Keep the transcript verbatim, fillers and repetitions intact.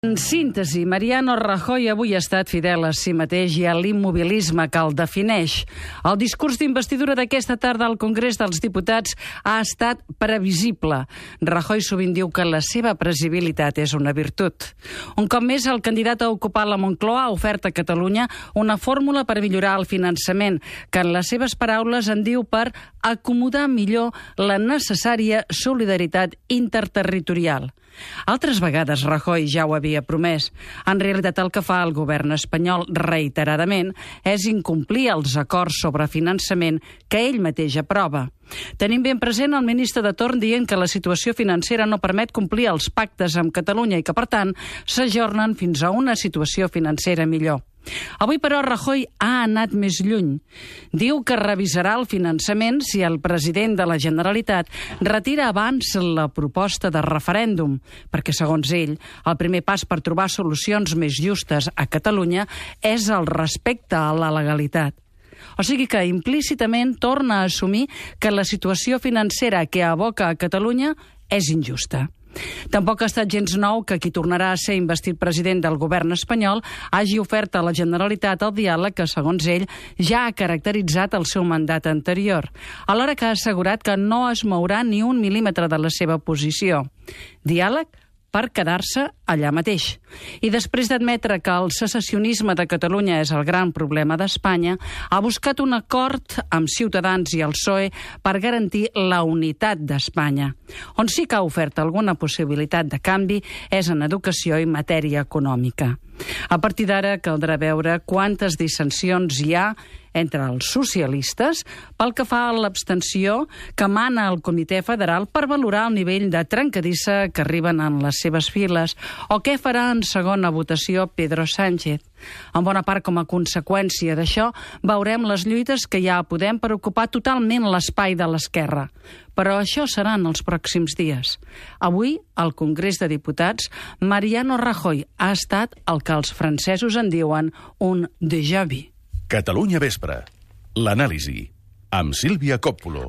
En síntesi, Mariano Rajoy avui ha estat fidel a si mateix i a l'immobilisme que el defineix. El discurs d'investidura d'aquesta tarda al Congrés dels Diputats ha estat previsible. Rajoy sovint diu que la seva previsibilitat és una virtut. Un cop més, el candidat a ocupar la Moncloa ha ofert a Catalunya una fórmula per millorar el finançament, que en les seves paraules en diu per acomodar millor la necessària solidaritat interterritorial. Altres vegades Rajoy ja ho havia promès. En realitat el que fa el govern espanyol reiteradament és incomplir els acords sobre finançament que ell mateix aprova. Tenim ben present el ministre de torn dient que la situació financera no permet complir els pactes amb Catalunya i que, per tant, s'ajornen fins a una situació financera millor. Avui, però, Rajoy ha anat més lluny. Diu que revisarà el finançament si el president de la Generalitat retira abans la proposta de referèndum, perquè, segons ell, el primer pas per trobar solucions més justes a Catalunya és el respecte a la legalitat. O sigui que implícitament torna a assumir que la situació financera que aboca a Catalunya és injusta. Tampoc ha estat gens nou que qui tornarà a ser investit president del govern espanyol hagi ofert a la Generalitat el diàleg que, segons ell, ja ha caracteritzat el seu mandat anterior, alhora que ha assegurat que no es mourà ni un mil·límetre de la seva posició. Diàleg per quedar-se allà mateix. I després d'admetre que el secessionisme de Catalunya és el gran problema d'Espanya, ha buscat un acord amb Ciutadans i el P S O E per garantir la unitat d'Espanya. On sí que ha ofert alguna possibilitat de canvi és en educació i matèria econòmica. A partir d'ara caldrà veure quantes dissensions hi ha entre els socialistes pel que fa a l'abstenció que mana el Comitè Federal per valorar el nivell de trencadissa que arriben en les seves files o què farà en segona votació Pedro Sánchez. En bona part, com a conseqüència d'això, veurem les lluites que hi ha a Podem per ocupar totalment l'espai de l'esquerra. Però això serà en els pròxims dies. Avui, al Congrés de Diputats, Mariano Rajoy ha estat el que els francesos en diuen un déjà vu. Catalunya Vespre. L'anàlisi. Amb Sílvia Còppulo.